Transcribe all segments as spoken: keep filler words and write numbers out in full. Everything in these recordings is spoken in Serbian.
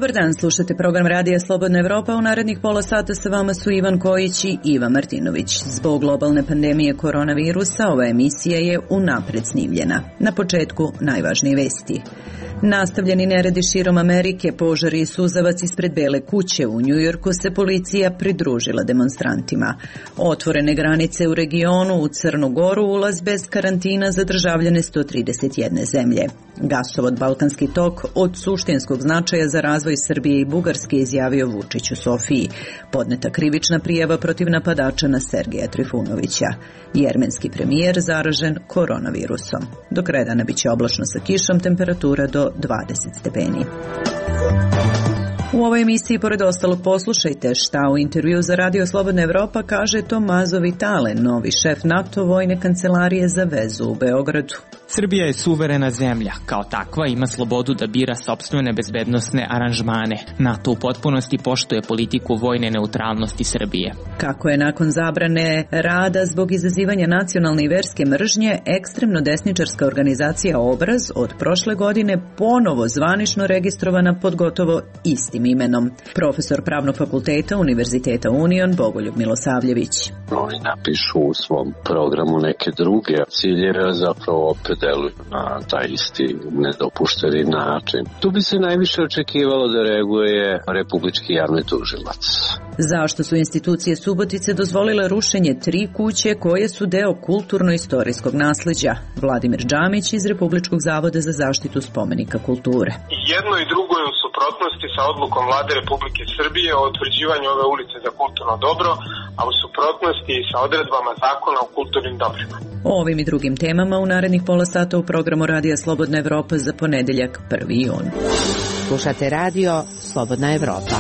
Dobar dan, slušate program Radija Slobodna Evropa. U narednih pola sata sa vama su Ivan Kojić i Iva Martinović. Zbog globalne pandemije koronavirusa ova emisija je unapred snimljena. Na početku najvažnije vesti. Nastavljeni neredi širom Amerike, požari i suzavac ispred Bele kuće u Njujorku se policija pridružila demonstrantima. Otvorene granice u regionu, u Crnu Goru, ulaz bez karantina za državljane sto trideset jedne zemlje. Gasovod Balkanski tok od suštinskog značaja za razvoj Srbije i Bugarske, izjavio Vučić u Sofiji. Podneta krivična prijava protiv napadača na Sergeja Trifunovića. Jermenski premijer zaražen koronavirusom. Do kraja dana biće oblačno sa kišom, temperatura do dvadeset stepeni. U ovoj emisiji, pored ostalog, poslušajte šta u intervju za Radio Slobodna Evropa kaže Tommaso Vitale, novi šef NATO vojne kancelarije za vezu u Beogradu. Srbija je suverena zemlja. Kao takva ima slobodu da bira sopstvene bezbednosne aranžmane. NATO u potpunosti poštuje politiku vojne neutralnosti Srbije. Kako je nakon zabrane rada zbog izazivanja nacionalne i verske mržnje, ekstremno desničarska organizacija Obraz od prošle godine ponovo zvanično registrovana pod gotovo istim imenom. Profesor Pravnog fakulteta Univerziteta Union Bogoljub Milosavljević. Oni napišu u svom programu neke druge ciljeve, zapravo opet deluju na taj isti nedopušteni način. Tu bi se najviše očekivalo da reaguje republički javni tužilac. Zašto su institucije Subotice dozvolile rušenje tri kuće koje su deo kulturno-istorijskog nasleđa? Vladimir Džamić iz Republičkog zavoda za zaštitu spomenika kulture. Jedno i drugo je u suprotnosti sa odlukom Vlade Republike Srbije o utvrđivanju ove ulice za kulturno dobro, a u suprotnosti i sa odredbama zakona o kulturnim dobrima. O ovim i drugim temama u narednih pola sata u programu Radija Slobodna Evropa za ponedeljak prvi jun. Slušate Radio Slobodna Evropa.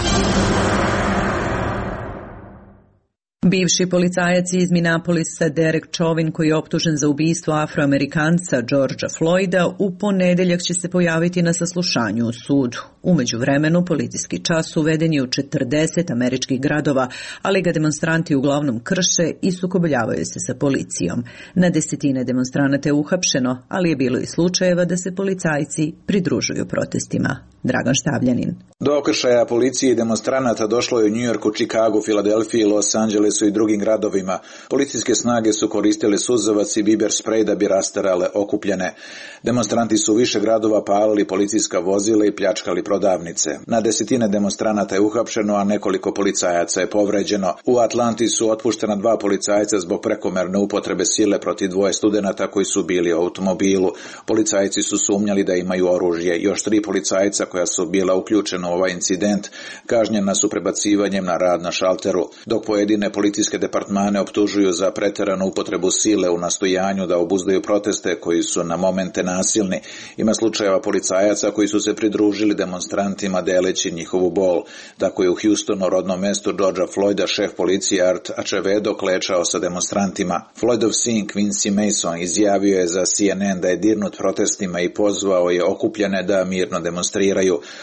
Bivši policajac iz Minneapolisa Derek Chauvin, koji je optužen za ubistvo Afroamerikanca Georgea Floyda, u ponedeljak će se pojaviti na saslušanju u sudu. U međuvremenu, policijski čas uveden je u četrdeset američkih gradova, ali ga demonstranti uglavnom krše i sukobljavaju se sa policijom. Na desetine demonstranata je uhapšeno, ali je bilo i slučajeva da se policajci pridružuju protestima. Dragan Štavljanin. Do okršaja policije i demonstranata došlo je u Njujorku, Čikagu, Filadelfiji, Los Angelesu i drugim gradovima. Policijske snage su koristile suzavac i biber sprej da bi rasterale okupljene. Demonstranti su u više gradova palili policijska vozila i pljačkali prodavnice. Na desetine demonstranata je uhapšeno, a nekoliko policajaca je povređeno. U Atlanti su otpuštena dva policajca zbog prekomerne upotrebe sile protiv dvoje studenata koji su bili u automobilu. Policajci su sumnjali da imaju oružje. Još tri policajca koja su bila uključena u ovaj incident kažnjena su prebacivanjem na rad na šalteru, dok pojedine policijske departmane optužuju za preteranu upotrebu sile u nastojanju da obuzdaju proteste koji su na momente nasilni. Ima slučajeva policajaca koji su se pridružili demonstrantima deleći njihovu bol. Tako je u Houstonu, rodnom mestu Georgea Floyda, šef policije Art Acevedo klečao sa demonstrantima. Floydov sin Quincy Mason izjavio je za C N N da je dirnut protestima i pozvao je okupljene da mirno demonstriraju.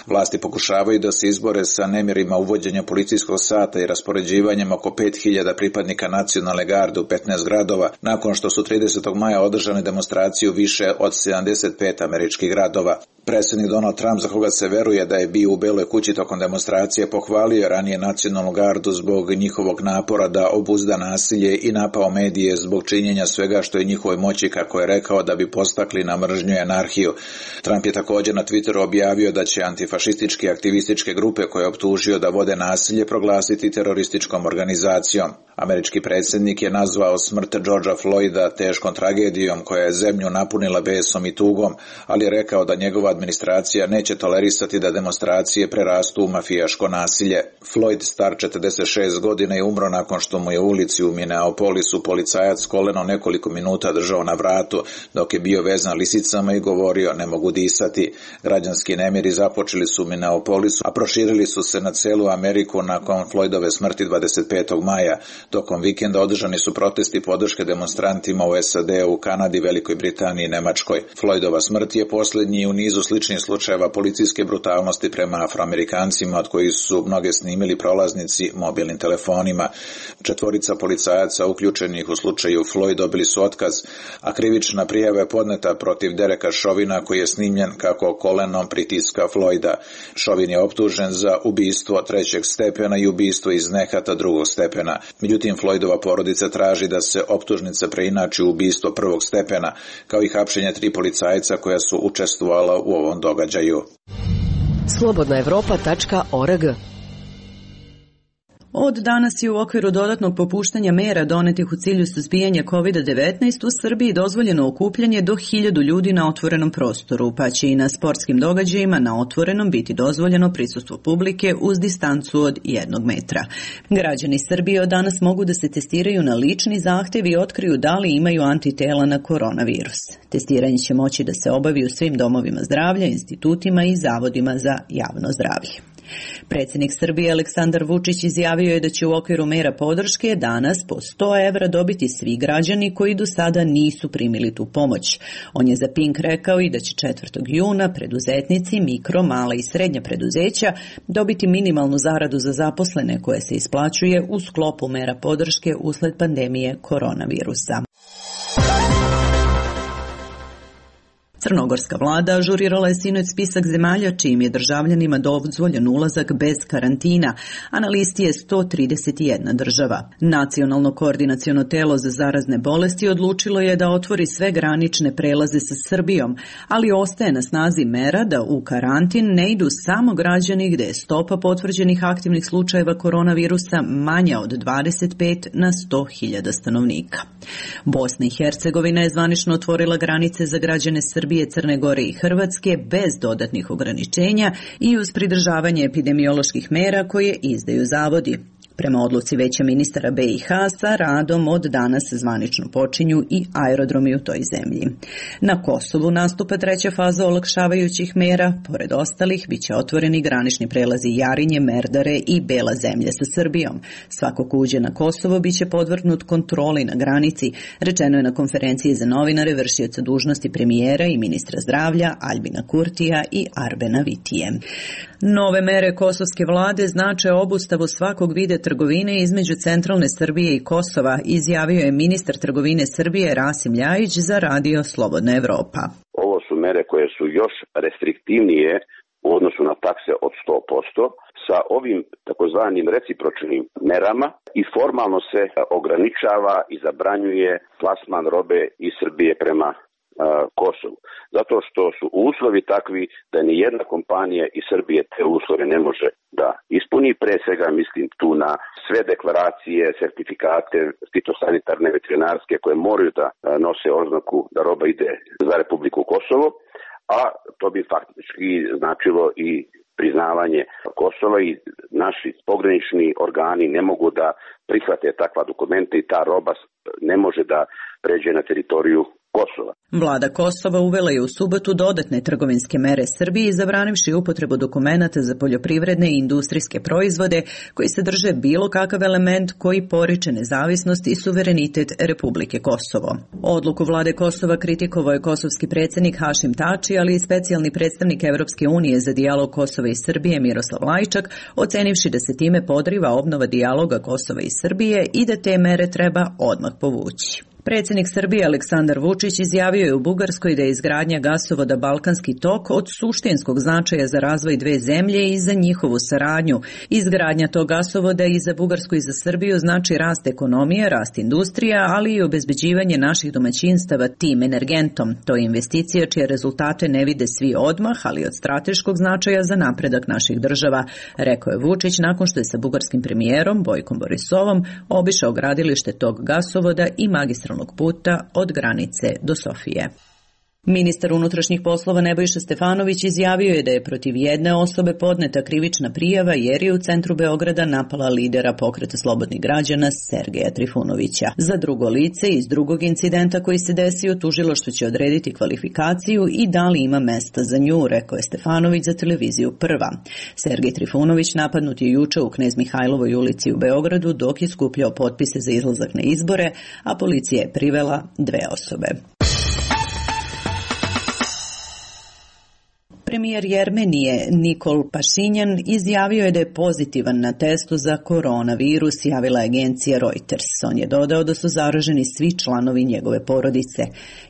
Vlasti pokušavaju da se izbore sa nemirima uvođenja policijskog sata i raspoređivanjem oko pet hiljada pripadnika nacionalne garde u petnaest gradova, nakon što su tridesetog maja održane demonstracije u više od sedamdeset pet američkih gradova. Predsjednik Donald Trump, za koga se veruje da je bio u Beloj kući tokom demonstracije, pohvalio ranije nacionalnu gardu zbog njihovog napora da obuzda nasilje i napao medije zbog činjenja svega što je njihovoj moći, kako je rekao, da bi postakli na mržnju i anarhiju. Trump je također na Twitteru objavio da će antifašističke aktivističke grupe koje je optužio da vode nasilje proglasiti terorističkom organizacijom. Američki predsjednik je nazvao smrt Georgea Floyda teškom tragedijom koja je zemlju napunila besom i tugom, ali je rekao da njegova administracija neće tolerisati da demonstracije prerastu u mafijaško nasilje. Floyd, star četrdeset šest godina, je umro nakon što mu je u ulici u Minneapolisu policajac koleno nekoliko minuta držao na vratu dok je bio vezan lisicama i govorio ne mogu disati. Građanski nemiri započeli su u Minneapolisu, a proširili su se na celu Ameriku nakon Floydove smrti dvadeset petog maja. Tokom vikenda održani su protesti podrške demonstrantima u S A D, u Kanadi, Velikoj Britaniji i Nemačkoj. Floydova smrt je posljednji u nizu sličnih slučajeva policijske brutalnosti prema Afroamerikancima, od kojih su mnoge snimili prolaznici mobilnim telefonima. Četvorica policajaca uključenih u slučaju Floyd dobili su otkaz, a krivična prijava je podneta protiv Dereka Chauvina, koji je snimljen kako kolenom pritiska Floyda. Chauvin je optužen za ubistvo trećeg stepena i ubistvo iz nehata drugog stepena. Međutim, Floydova porodica traži da se optužnica preinači u ubistvo prvog stepena, kao i hapšenje tri policajca koja su učestvovala u ovom događaju. slobodna evropa tačka org. Od danas je u okviru dodatnog popuštanja mera donetih u cilju suzbijanja kovid devetnaest u Srbiji dozvoljeno okupljanje do hiljadu ljudi na otvorenom prostoru, pa će i na sportskim događajima na otvorenom biti dozvoljeno prisustvo publike uz distancu od jednog metra. Građani Srbije od danas mogu da se testiraju na lični zahtev i otkriju da li imaju antitela na koronavirus. Testiranje će moći da se obavi u svim domovima zdravlja, institutima i zavodima za javno zdravlje. Predsjednik Srbije Aleksandar Vučić izjavio je da će u okviru mera podrške danas po sto evra dobiti svi građani koji do sada nisu primili tu pomoć. On je za Pink rekao i da će četvrtog juna preduzetnici, mikro, mala i srednja preduzeća dobiti minimalnu zaradu za zaposlene koje se isplaćuje u sklopu mera podrške usled pandemije koronavirusa. Crnogorska vlada ažurirala je sinoć spisak zemalja čijim je državljanima dozvoljen ulazak bez karantina, a na listi je sto trideset jedna država. Nacionalno koordinaciono telo za zarazne bolesti odlučilo je da otvori sve granične prelaze sa Srbijom, ali ostaje na snazi mera da u karantin ne idu samo građani gde je stopa potvrđenih aktivnih slučajeva koronavirusa manja od dvadeset pet na sto hiljada stanovnika. Bosna i Hercegovina je zvanično otvorila granice za građane Srbije, Crne Gore i Hrvatske bez dodatnih ograničenja i uz pridržavanje epidemioloških mera koje izdaju zavodi. Prema odluci Veća ministara B i H sa radom od danas zvanično počinju i aerodromi u toj zemlji. Na Kosovu nastupa treća faza olakšavajućih mera, pored ostalih biće otvoreni granični prelazi Jarinje, Merdare i Bela zemlja sa Srbijom. Svako ko uđe na Kosovo biće podvrgnut kontroli na granici, rečeno je na konferenciji za novinare vršioca dužnosti premijera i ministra zdravlja Albina Kurtija i Arbena Vitije. Nove mere kosovske vlade znače obustavu svakog vida trgovine između centralne Srbije i Kosova, izjavio je ministar trgovine Srbije Rasim Ljajić za radio Slobodna Evropa. Ovo su mere koje su još restriktivnije u odnosu na takse od sto posto. Sa ovim takozvanim recipročnim merama i formalno se ograničava i zabranjuje plasman robe iz Srbije prema Kosovu. Zato što su uslovi takvi da ni jedna kompanija iz Srbije te uslove ne može da ispuni. Pre svega mislim tu na sve deklaracije, sertifikate fitosanitarne, veterinarske koje moraju da nose oznaku da roba ide za Republiku Kosovo, a to bi faktički značilo i priznavanje Kosova i naši pogranični organi ne mogu da prihvate takva dokumenta i ta roba ne može da pređe na teritoriju Kosova. Vlada Kosova uvela je u subotu dodatne trgovinske mere Srbiji, zabranivši upotrebu dokumenata za poljoprivredne i industrijske proizvode koji sadrže bilo kakav element koji poriče nezavisnost i suverenitet Republike Kosovo. Odluku vlade Kosova kritikovao je kosovski predsjednik Hašim Tači, ali i specijalni predstavnik Evropske unije za dijalog Kosova i Srbije Miroslav Lajčak, ocenivši da se time podriva obnova dijaloga Kosova i Srbije i da te mere treba odmah povući. Predsjednik Srbije Aleksandar Vučić izjavio je u Bugarskoj da je izgradnja gasovoda Balkanski tok od suštinskog značaja za razvoj dve zemlje i za njihovu saradnju. Izgradnja tog gasovoda i za Bugarsku i za Srbiju znači rast ekonomije, rast industrija, ali i obezbeđivanje naših domaćinstava tim energentom. To je investicija čije rezultate ne vide svi odmah, ali od strateškog značaja za napredak naših država, rekao je Vučić nakon što je sa bugarskim premijerom Bojkom Borisovom obišao gradilište tog gasovoda i magistralnog puta od granice do Sofije. Ministar unutrašnjih poslova Nebojša Stefanović izjavio je da je protiv jedne osobe podneta krivična prijava jer je u centru Beograda napala lidera Pokreta slobodnih građana Sergeja Trifunovića. Za drugo lice iz drugog incidenta koji se desio tužilaštvo će odrediti kvalifikaciju i da li ima mesta za nju, rekao je Stefanović za televiziju Prva. Sergej Trifunović napadnut je juče u Knez Mihajlovoj ulici u Beogradu dok je skupljao potpise za izlazak na izbore, a policija je privela dve osobe. Premijer Jermenije Nikol Pašinjan izjavio je da je pozitivan na testu za koronavirus, javila agencija Reuters. On je dodao da su zaraženi svi članovi njegove porodice.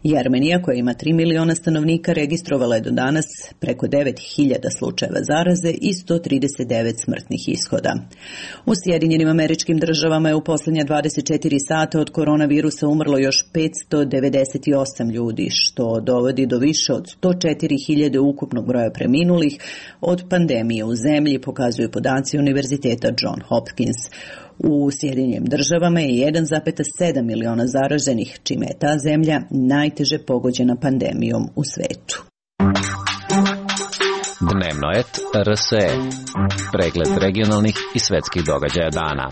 Jermenija, koja ima tri miliona stanovnika, registrovala je do danas preko devet hiljada slučajeva zaraze i sto trideset devet smrtnih ishoda. U Sjedinjenim Američkim Državama je u posljednja dvadeset četiri sata od koronavirusa umrlo još petsto devedeset osam ljudi, što dovodi do više od sto četiri hiljade ukupnog broja preminulih od pandemije u zemlji, pokazuju podaci Univerziteta John Hopkins. U Sjedinjenim Državama je jedan zarez sedam miliona zaraženih, čime je ta zemlja najteže pogođena pandemijom u svetu. Dnevno et R S E. Pregled regionalnih i svetskih događaja dana.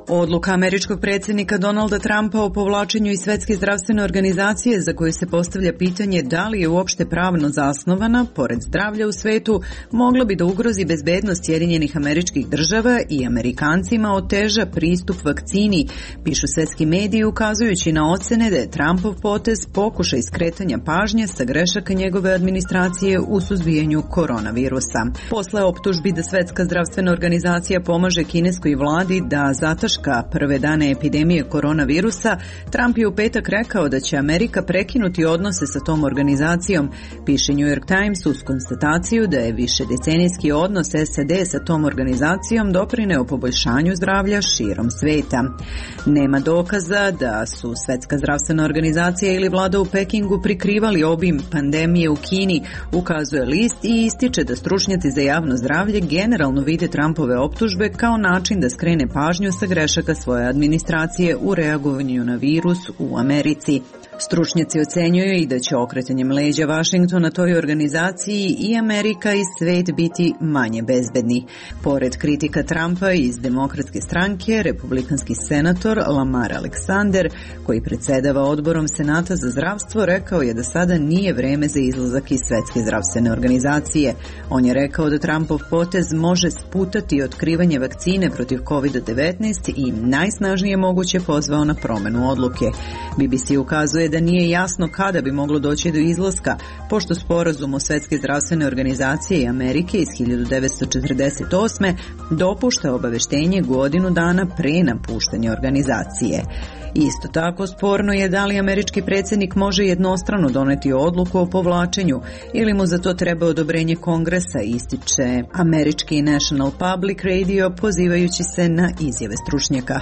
Odluka američkog predsjednika Donalda Trumpa o povlačenju iz Svetske zdravstvene organizacije, za koju se postavlja pitanje da li je uopšte pravno zasnovana, pored zdravlja u svetu, mogla bi da ugrozi bezbednost Sjedinjenih Američkih Država i Amerikancima oteža pristup vakcini, pišu svetski mediji, ukazujući na ocene da je Trumpov potez pokušaj skretanja pažnje sa grešaka njegove administracije u suzbijanju koronavirusa. Posle optužbi da Svetska zdravstvena organizacija pomaže kineskoj vladi da zataška prve dane epidemije koronavirusa, Trump je u petak rekao da će Amerika prekinuti odnose sa tom organizacijom, piše New York Times uz konstataciju da je višedecenijski odnos S A D sa tom organizacijom doprineo poboljšanju zdravlja širom sveta. Nema dokaza da su Svetska zdravstvena organizacija ili vlada u Pekingu prikrivali obim pandemije u Kini, ukazuje list i ističe da stručnjaci za javno zdravlje generalno vide Trumpove optužbe kao način da skrene pažnju sa grešaka svoje administracije u reagovanju na virus u Americi. Stručnjaci ocenjuju i da će okretanjem leđa Vašingtona toj organizaciji i Amerika i svet biti manje bezbedni. Pored kritika Trumpa iz Demokratske stranke, republikanski senator Lamar Alexander, koji predsedava odborom Senata za zdravstvo, rekao je da sada nije vreme za izlazak iz Svetske zdravstvene organizacije. On je rekao da Trumpov potez može sputati otkrivanje vakcine protiv kovid devetnaest i najsnažnije moguće pozvao na promenu odluke. B B C ukazuje da nije jasno kada bi moglo doći do izlaska, pošto sporazum o Svetske zdravstvene organizacije i Amerike iz hiljadu devetsto četrdeset osme dopušta obaveštenje godinu dana pre napuštanja organizacije. Isto tako sporno je da li američki predsjednik može jednostrano doneti odluku o povlačenju ili mu za to treba odobrenje Kongresa, ističe američki National Public Radio pozivajući se na izjave stručnjaka.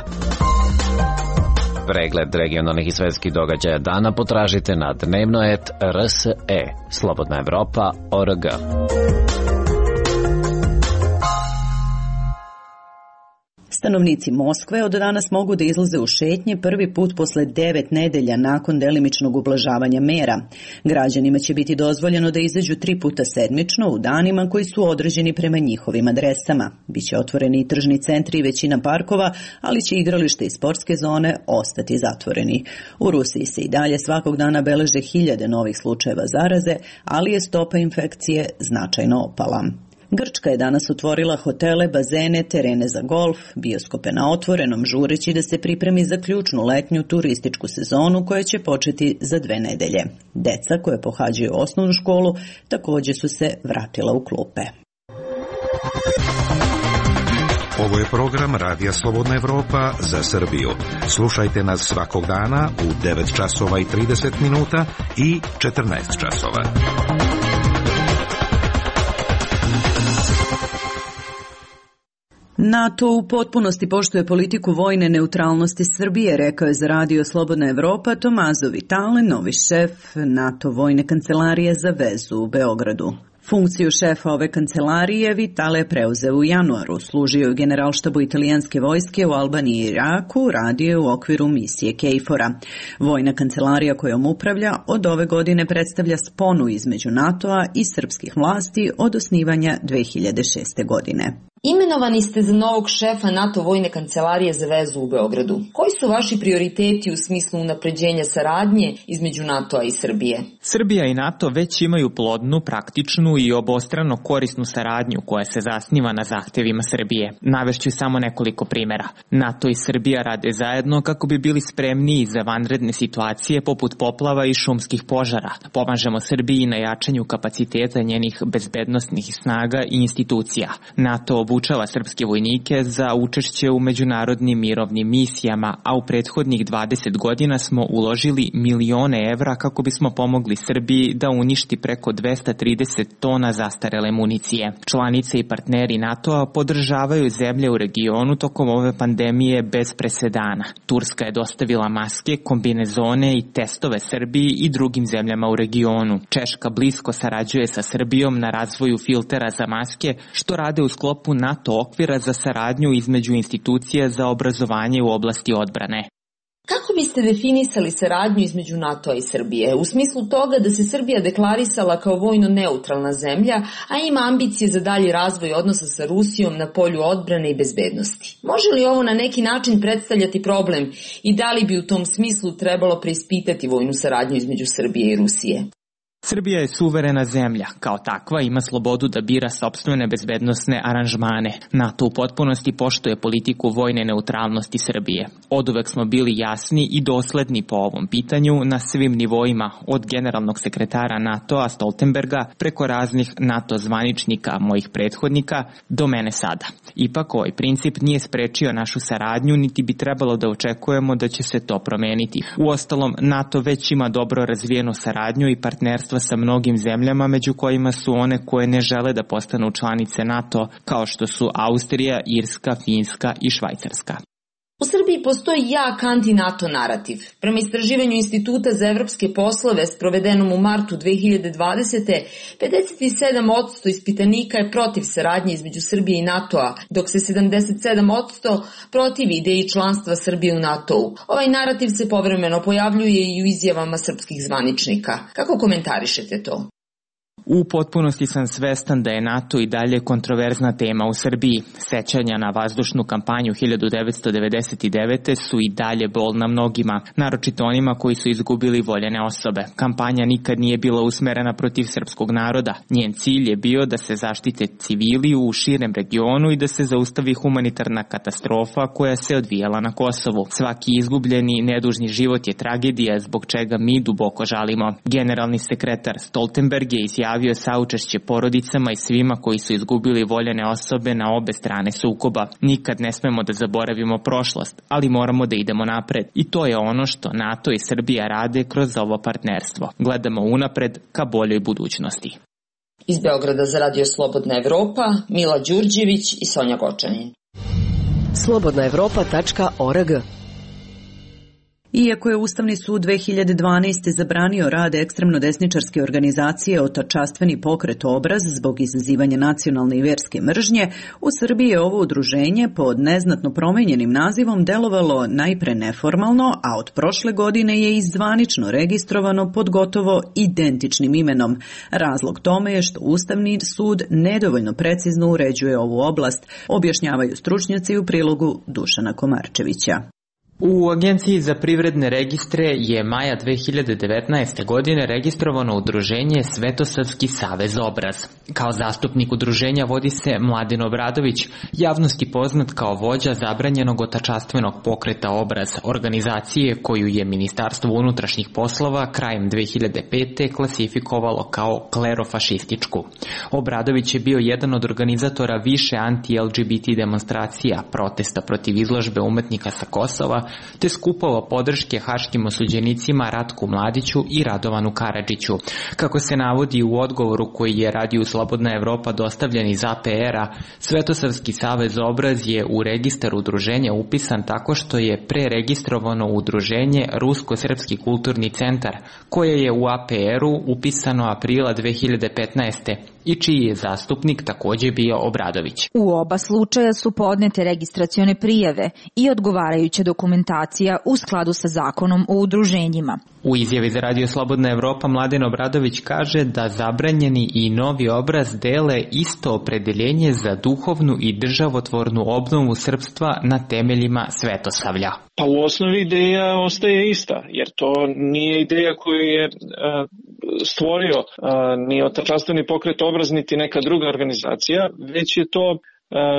Pregled regionalnih i svetskih događaja dana potražite na dnevno et R S E. Slobodna Evropa точка org. Stanovnici Moskve od danas mogu da izlaze u šetnje prvi put posle devet nedelja nakon delimičnog ublažavanja mera. Građanima će biti dozvoljeno da izađu tri puta sedmično u danima koji su određeni prema njihovim adresama. Biće otvoreni i tržni centri i većina parkova, ali će igralište i sportske zone ostati zatvoreni. U Rusiji se i dalje svakog dana beleže hiljade novih slučajeva zaraze, ali je stopa infekcije značajno opala. Grčka je danas otvorila hotele, bazene, terene za golf, bioskope na otvorenom, žureći da se pripremi za ključnu letnju turističku sezonu koja će početi za dve nedelje. Deca koje pohađaju osnovnu školu također su se vratila u klupe. Ovo je program Radija Slobodna Evropa za Srbiju. Slušajte nas svakog dana u devet časova i trideset minuta i četrnaest časova. NATO u potpunosti poštuje politiku vojne neutralnosti Srbije, rekao je za Radio Slobodna Evropa Tomazo Vitale, novi šef NATO vojne kancelarije za vezu u Beogradu. Funkciju šefa ove kancelarije Vitale je preuzeo u januaru, služio je u generalštabu italijanske vojske u Albaniji i Iraku, radio je u okviru misije KFOR-a. Vojna kancelarija kojom upravlja od ove godine predstavlja sponu između NATO-a i srpskih vlasti od osnivanja dve hiljade šeste. godine. Imenovani ste za novog šefa NATO vojne kancelarije za vezu u Beogradu. Koji su vaši prioriteti u smislu unapređenja saradnje između NATO-a i Srbije? Srbija i NATO već imaju plodnu, praktičnu i obostrano korisnu saradnju koja se zasniva na zahtevima Srbije. Navešću samo nekoliko primera. NATO i Srbija rade zajedno kako bi bili spremniji za vanredne situacije poput poplava i šumskih požara. Pomažemo Srbiji na jačanju kapaciteta njenih bezbednosnih snaga i institucija. NATO obučava srpske vojnike za učešće u međunarodnim mirovnim misijama, a u prethodnih dvadeset godina smo uložili milione evra kako bismo pomogli Srbiji da uništi preko dvesta trideset tona zastarele municije. Članice i partneri NATO-a podržavaju zemlje u regionu tokom ove pandemije bez presedana. Turska je dostavila maske, kombinezone i testove Srbiji i drugim zemljama u regionu. Češka blisko sarađuje sa Srbijom na razvoju filtera za maske, što rade u sklopu NATO okvira za saradnju između institucija za obrazovanje u oblasti odbrane. Kako biste definisali saradnju između NATO-a i Srbije? U smislu toga da se Srbija deklarisala kao vojno neutralna zemlja, a ima ambicije za dalji razvoj odnosa sa Rusijom na polju odbrane i bezbednosti. Može li ovo na neki način predstavljati problem i da li bi u tom smislu trebalo preispitati vojnu saradnju između Srbije i Rusije? Srbija je suverena zemlja, kao takva ima slobodu da bira sopstvene bezbednosne aranžmane. NATO u potpunosti poštuje politiku vojne neutralnosti Srbije. Oduvek smo bili jasni i dosledni po ovom pitanju na svim nivoima, od generalnog sekretara NATO-a Stoltenberga preko raznih NATO zvaničnika, mojih prethodnika, do mene sada. Ipak ovaj princip nije sprečio našu saradnju, niti bi trebalo da očekujemo da će se to promeniti. Uostalom, NATO već ima dobro razvijenu saradnju i partnerstvo sa mnogim zemljama, među kojima su one koje ne žele da postanu članice NATO, kao što su Austrija, Irska, Finska i Švajcarska. U Srbiji postoji jak anti-NATO narativ. Prema istraživanju Instituta za evropske poslove sprovedenom u martu dve hiljade dvadesete. pedeset sedam posto ispitanika je protiv saradnje između Srbije i NATO-a, dok se sedamdeset sedam posto protivi ideji članstva Srbije u NATO-u. Ovaj narativ se povremeno pojavljuje i u izjavama srpskih zvaničnika. Kako komentarišete to? U potpunosti sam svestan da je NATO i dalje kontroverzna tema u Srbiji. Sećanja na vazdušnu kampanju hiljadu devetsto devedeset devete. su i dalje bolna mnogima, naročito onima koji su izgubili voljene osobe. Kampanja nikad nije bila usmerena protiv srpskog naroda. Njen cilj je bio da se zaštite civili u širem regionu i da se zaustavi humanitarna katastrofa koja se odvijala na Kosovu. Svaki izgubljeni nedužni život je tragedija zbog čega mi duboko žalimo. Generalni sekretar Stoltenberg je izjavio javio saučešće porodicama i svima koji su izgubili voljene osobe na obe strane sukoba. Nikad ne smemo da zaboravimo prošlost, ali moramo da idemo napred. I to je ono što NATO i Srbija rade kroz ovo partnerstvo. Gledamo unapred ka boljoj budućnosti. Iz Beograda za Radio Slobodna Evropa, Mila Đurđević i Sonja Gočanin. slobodna evropa tačka org. Iako je Ustavni sud dve hiljade dvanaeste. zabranio rad ekstremno desničarske organizacije Otačastveni pokret Obraz zbog izazivanja nacionalne i verske mržnje, u Srbiji je ovo udruženje pod neznatno promenjenim nazivom delovalo najpre neformalno, a od prošle godine je i zvanično registrovano pod gotovo identičnim imenom. Razlog tome je što Ustavni sud nedovoljno precizno uređuje ovu oblast, objašnjavaju stručnjaci u prilogu Dušana Komarčevića. U Agenciji za privredne registre je maja dve hiljade devetnaeste. godine registrovano udruženje Svetosavski savez Obraz. Kao zastupnik udruženja vodi se Mladen Obradović, javnosti poznat kao vođa zabranjenog otačastvenog pokreta Obraz, organizacije koju je Ministarstvo unutrašnjih poslova krajem dve hiljade pete. klasifikovalo kao klerofašističku. Obradović je bio jedan od organizatora više anti-L G B T demonstracija, protesta protiv izložbe umetnika sa Kosova, te skupova podrške haškim osuđenicima Ratku Mladiću i Radovanu Karadžiću. Kako se navodi u odgovoru koji je Radio Slobodna Evropa dostavljen iz A P R-a, Svetosavski savez Obraz je u registar udruženja upisan tako što je preregistrovano udruženje Rusko-srpski kulturni centar, koje je u A P R-u upisano aprila dve hiljade petnaeste. i čiji je zastupnik takođe bio Obradović. U oba slučaja su podnete registracione prijave i odgovarajuća dokumentacija u skladu sa zakonom o udruženjima. U izjavi za Radio Slobodna Evropa Mladen Obradović kaže da zabranjeni i novi obraz dele isto opredeljenje za duhovnu i državotvornu obnovu srpstva na temeljima svetosavlja. Pa u osnovi ideja ostaje ista, jer to nije ideja koju je uh, stvorio uh, ni Otačanstveni pokret Obraz, niti neka druga organizacija, već je to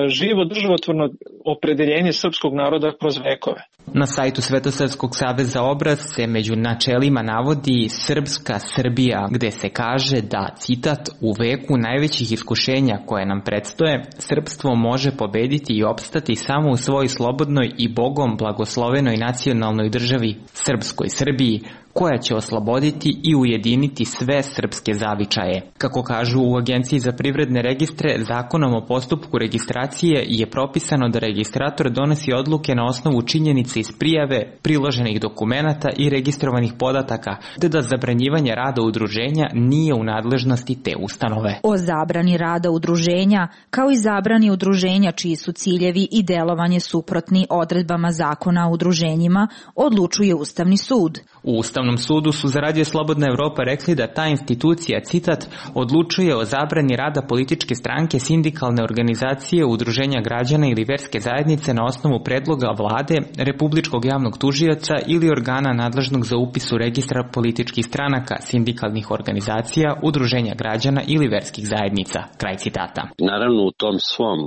živo državotvorno opredeljenje srpskog naroda kroz vekove. Na sajtu Svetosavskog saveza Obraz se među načelima navodi Srpska Srbija, gde se kaže da, citat, u veku najvećih iskušenja koje nam predstoje, srpstvo može pobediti i opstati samo u svojoj slobodnoj i Bogom blagoslovenoj nacionalnoj državi, Srpskoj Srbiji, koja će osloboditi i ujediniti sve srpske zavičaje. Kako kažu u Agenciji za privredne registre, zakonom o postupku registracije je propisano da registrator donosi odluke na osnovu činjenica iz prijave, priloženih dokumenata i registrovanih podataka, te da zabranjivanje rada udruženja nije u nadležnosti te ustanove. O zabrani rada udruženja, kao i zabrani udruženja čiji su ciljevi i delovanje suprotni odredbama zakona o udruženjima, odlučuje Ustavni sud. U Ustavnom sudu su za Radio Slobodna Evropa rekli da ta institucija, citat, odlučuje o zabrani rada političke stranke, sindikalne organizacije, udruženja građana ili verske zajednice na osnovu predloga vlade, Republičkog javnog tužioca ili organa nadležnog za upis u registra političkih stranaka, sindikalnih organizacija, udruženja građana ili verskih zajednica. Kraj citata. Naravno, u tom svom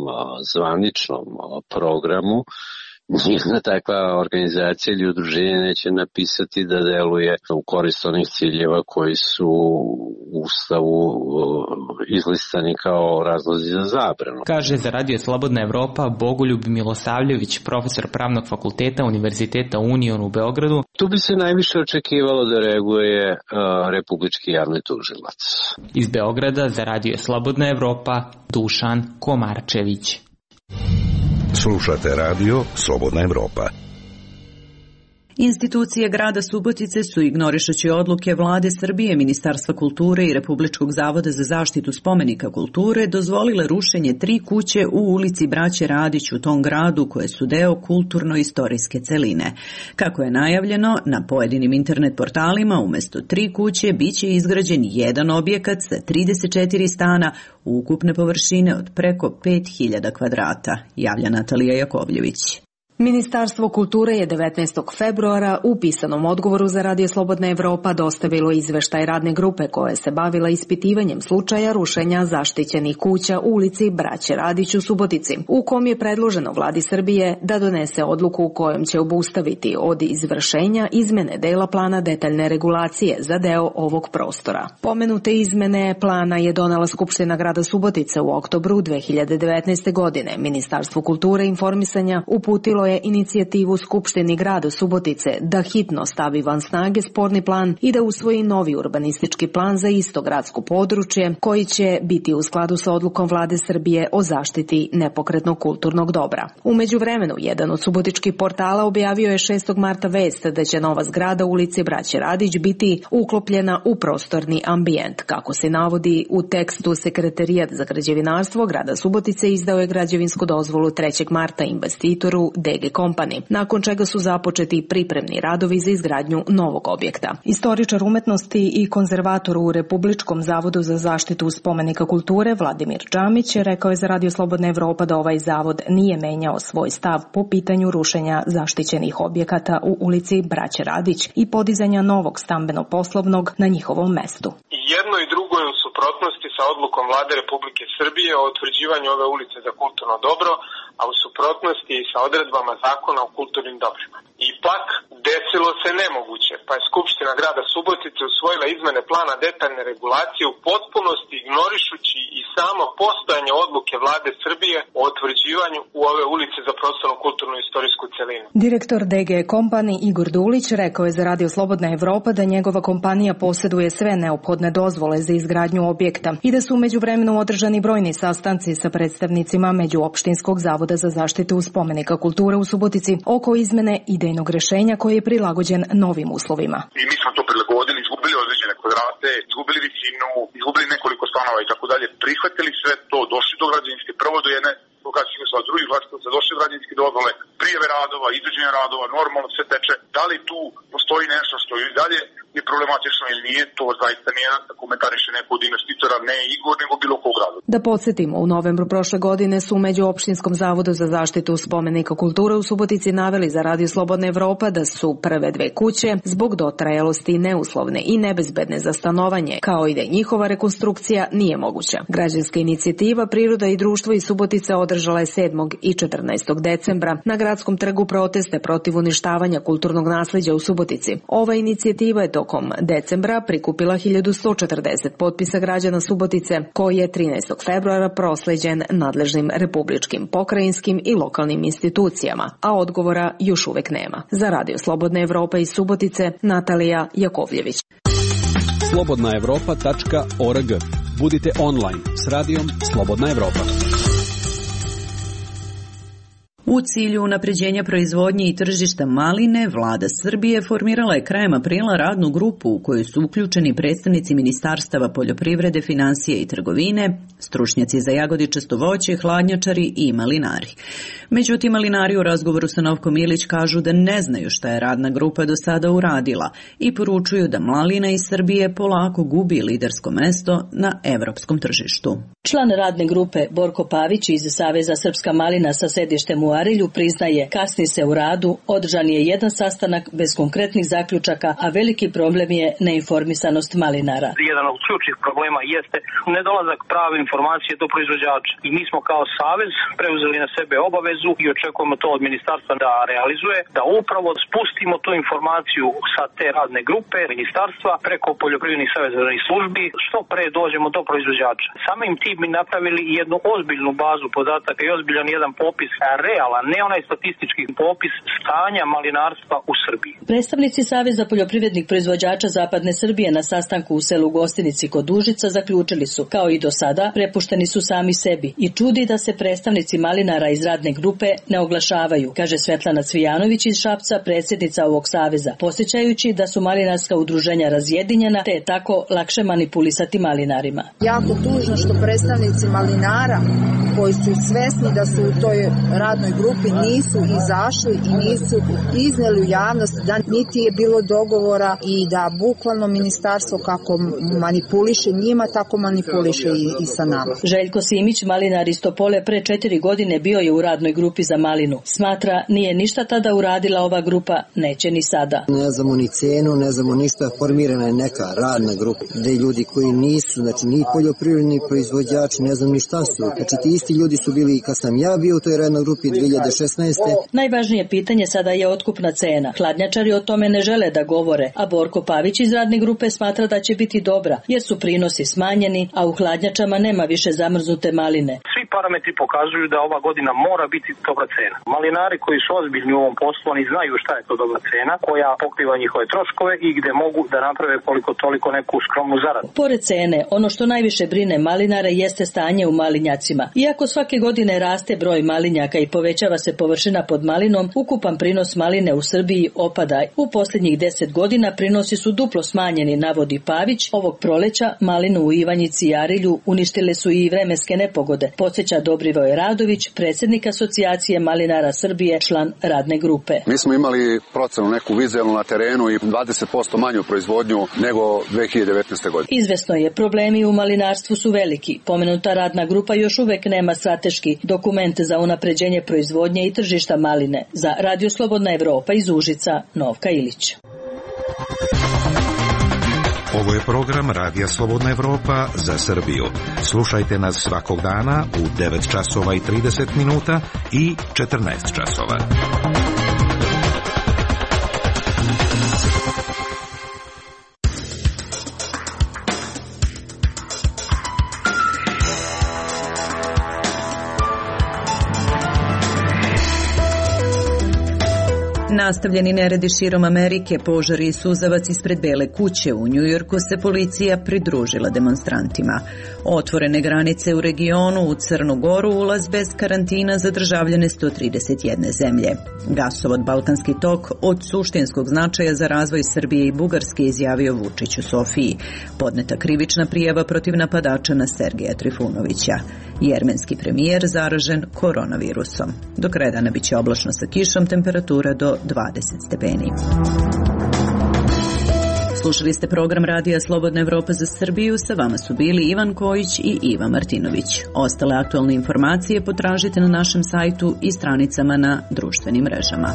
zvaničnom programu nijedna takva organizacija ili udruženje neće napisati da deluje u korist onih ciljeva koji su u Ustavu izlistani kao razlozi za zabranu. Kaže za Radio Slobodna Evropa Bogoljub Milosavljević, profesor Pravnog fakulteta Univerziteta Union u Beogradu. Tu bi se najviše očekivalo da reaguje uh, Republički javni tužilac. Iz Beograda za Radio Slobodna Evropa Dušan Komarčević. Slušate radio Slobodna Evropa. Institucije grada Subotice su, ignorišući odluke Vlade Srbije, Ministarstva kulture i Republičkog zavoda za zaštitu spomenika kulture, dozvolile rušenje tri kuće u ulici Braće Radić u tom gradu koje su deo kulturno-istorijske celine. Kako je najavljeno, na pojedinim internet portalima umesto tri kuće biće izgrađen jedan objekat sa trideset četiri stana ukupne površine od preko pet hiljada kvadrata, javlja Natalija Jakovljević. Ministarstvo kulture je devetnaestog februara u pisanom odgovoru za Radio Slobodna Evropa dostavilo izveštaj radne grupe koja se bavila ispitivanjem slučaja rušenja zaštićenih kuća u ulici Braće Radić u Subotici, u kom je predloženo Vladi Srbije da donese odluku u kojom će obustaviti od izvršenja izmene dela plana detaljne regulacije za deo ovog prostora. Pomenute izmene plana je donela Skupština grada Subotice u oktobru dve hiljade devetnaeste. godine. Ministarstvo kulture i informisanja uputilo je inicijativu Skupštini grada Subotice da hitno stavi van snage sporni plan i da usvoji novi urbanistički plan za isto gradsko područje koji će biti u skladu sa odlukom Vlade Srbije o zaštiti nepokretnog kulturnog dobra. U međuvremenu, jedan od subotičkih portala objavio je šestog marta vest da će nova zgrada ulici Braće Radić biti uklopljena u prostorni ambijent. Kako se navodi u tekstu, Sekretarijat za građevinarstvo grada Subotice izdao je građevinsku dozvolu trećeg marta investitoru D G Company, nakon čega su započeti pripremni radovi za izgradnju novog objekta. Istoričar umetnosti i konzervator u Republičkom zavodu za zaštitu spomenika kulture Vladimir Džamić rekao je za Radio Slobodna Evropa da ovaj zavod nije menjao svoj stav po pitanju rušenja zaštićenih objekata u ulici Braće Radić i podizanja novog stambeno-poslovnog na njihovom mestu. Jedno i drugo je u suprotnosti sa odlukom Vlade Republike Srbije o utvrđivanju ove ulice za kulturno dobro, a u suprotnosti i sa odredbama zakona o kulturnim dobrima. Ipak, desilo se nemoguće, pa je Skupština grada Subotice usvojila izmene plana detaljne regulacije u potpunosti ignorišući i samo postojanje odluke Vlade Srbije o utvrđivanju u ove ulice za prostornu kulturnu istorijsku celinu. Direktor D G Company Igor Dulić rekao je za Radio Slobodna Evropa da njegova kompanija posjeduje sve neophodne dozvole za izgradnju objekta i da su u međuvremenu održani brojni sastanci sa predstavnicima Međuopštinskog zavoda za zaštitu spomenika kulture u Subotici oko izmene idejnog rešenja koji je prilagođen novim uslovima. I mi smo to prilagodili, izgubili određene kvadrate, izgubili visinu, izgubili nekoliko stanova i tako dalje, prihvatili sve to, došli do građevinske, prvo do jedne lokacijske sa drugih lokacija, došli do građevinske dozvole, prijave radova, izvođenja radova, normalno sve teče. Da li tu postoji nešto što i dalje je problematično ili nije, to zaista nije da komentariše neko od investitora, ne Igor, nego bilo kog grada. Da podsjetimo, u novembru prošle godine su među Opštinskom zavodu za zaštitu spomenika kulture u Subotici naveli za Radio Slobodna Evropa da su prve dve kuće zbog dotrajalosti neuslovne i nebezbedne za stanovanje, kao i da njihova rekonstrukcija nije moguća. Građanska inicijativa Priroda i društvo iz Subotice održala je sedmog i četrnaestog decembra na gradskom trgu proteste protiv uništavanja kulturnog nasleđa u Subotici. Ova inicijativa je tokom decembra prikupila hiljadu sto četrdeset potpisa građana Subotice, koji je trinaestog februara prosleđen nadležnim republičkim, pokrajinskim i lokalnim institucijama, a odgovora još uvek nema. Za Radio Slobodna Evropa iz Subotice, Natalija Jakovljević. slobodna evropa tačka org. Budite online s radijom Slobodna Evropa. U cilju unapređenja proizvodnje i tržišta maline, vlada Srbije formirala je krajem aprila radnu grupu u kojoj su uključeni predstavnici ministarstava poljoprivrede, finansije i trgovine, stručnjaci za jagodičasto voće, hladnjačari i malinari. Međutim, malinari u razgovoru sa Novkom Ilić kažu da ne znaju šta je radna grupa do sada uradila i poručuju da malina iz Srbije polako gubi lidersko mesto na evropskom tržištu. Član radne grupe Borko Pavić iz Saveza Srpska malina sa sedištem u Arilju priznaje, kasni se u radu, održan je jedan sastanak bez konkretnih zaključaka, a veliki problem je neinformisanost malinara. Jedan od ključnih problema jeste nedolazak prave informacije do proizvođača. I mi smo kao savez preuzeli na sebe obavezu i očekujemo to od ministarstva da realizuje, da upravo spustimo tu informaciju sa te radne grupe ministarstva preko poljoprivrednih saveznih službi, što pre dođemo do proizvođača. Samim tim mi napravili jednu ozbiljnu bazu podataka i ozbiljan jedan popis realan, ne onaj statistički popis stanja malinarstva u Srbiji. Predstavnici Saveza poljoprivrednih proizvođača Zapadne Srbije na sastanku u selu Gostinici kod Užica zaključili su, kao i do sada, prepušteni su sami sebi i čudi da se predstavnici malinara iz radne grupe ne oglašavaju, kaže Svetlana Cvijanović iz Šapca, predsjednica ovog saveza, podsjećajući da su malinarska udruženja razjedinjena te je tako lakše manipulisati malinarima. Jako tužno što predstavnici malinara koji su svesni da su u toj radnoj grupi nisu izašli i nisu izneli u javnost da niti je bilo dogovora i da bukvalno ministarstvo kako manipuliše njima, tako manipuliše i, i sa nama. Željko Simić, malinar iz Topole, pre četiri godine bio je u radnoj grupi za malinu. Smatra, nije ništa tada uradila ova grupa, neće ni sada. Ne znamo ni cenu, ne znamo ništa, formirana je neka radna grupa, gde ljudi koji nisu, znači ni poljoprivredni proizvođači, ne znam ni šta su. Znači ti isti ljudi su bili kad sam ja bio u toj radnoj grupi dve hiljade šesnaeste. Najvažnije pitanje sada je otkupna cena. Hladnjačari o tome ne žele da govore, a Borko Pavić iz radne grupe smatra da će biti dobra, jer su prinosi smanjeni, a u hladnjačama nema više zamrznute maline. Svi parametri pokazuju da ova godina mora biti dobra cena. Malinari koji su ozbiljni u ovom poslu, oni znaju šta je to dobra cena, koja pokriva njihove troškove i gde mogu da naprave koliko toliko neku skromnu zaradu. Pored cene, ono što najviše brine malinare jeste stanje u malinjacima. Iako svake godine raste broj malinjaka i povećava se površina pod malinom, ukupan prinos maline u Srbiji opada. U posljednjih deset godina prinosi su duplo smanjeni, navodi Pavić. Ovog proleća malinu u Ivanjici i Arilju uništile su i vremenske nepogode. Podsjeća Dobrivoje Radović, predsjednik Asocijacije malinara Srbije, član radne grupe. Mi smo imali procenu neku vizualnu na terenu i dvadeset posto manju proizvodnju nego dve hiljade devetnaeste. godine. Izvesno je, problemi u malinarstvu su veliki. Pomenuta radna grupa još uvek nema strateški dokument za unapređenje proizvodnje i tržišta maline. Za Radio Slobodna Evropa iz Užica, Novka Ilić. Ovo je program Radija Slobodna Evropa za Srbiju. Slušajte nas svakog dana u devet časova i trideset minuta i četrnaest časova. Nastavljeni neredi širom Amerike, požari i suzavac ispred Bele kuće u Njujorku se policija pridružila demonstrantima. Otvorene granice u regionu, u Crnu Goru, ulaz bez karantina za državljane sto trideset jedne zemlje. Gasovod Balkanski tok od suštinskog značaja za razvoj Srbije i Bugarske, izjavio Vučić u Sofiji. Podneta krivična prijava protiv napadača na Sergeja Trifunovića. Jermenski premijer zaražen koronavirusom. Do kraja dana biće oblačno sa kišom, temperatura do dvadeset stepeni. Slušali ste program Radija Slobodna Evropa za Srbiju, sa vama su bili Ivan Kojić i Iva Martinović. Ostale aktualne informacije potražite na našem sajtu i stranicama na društvenim mrežama.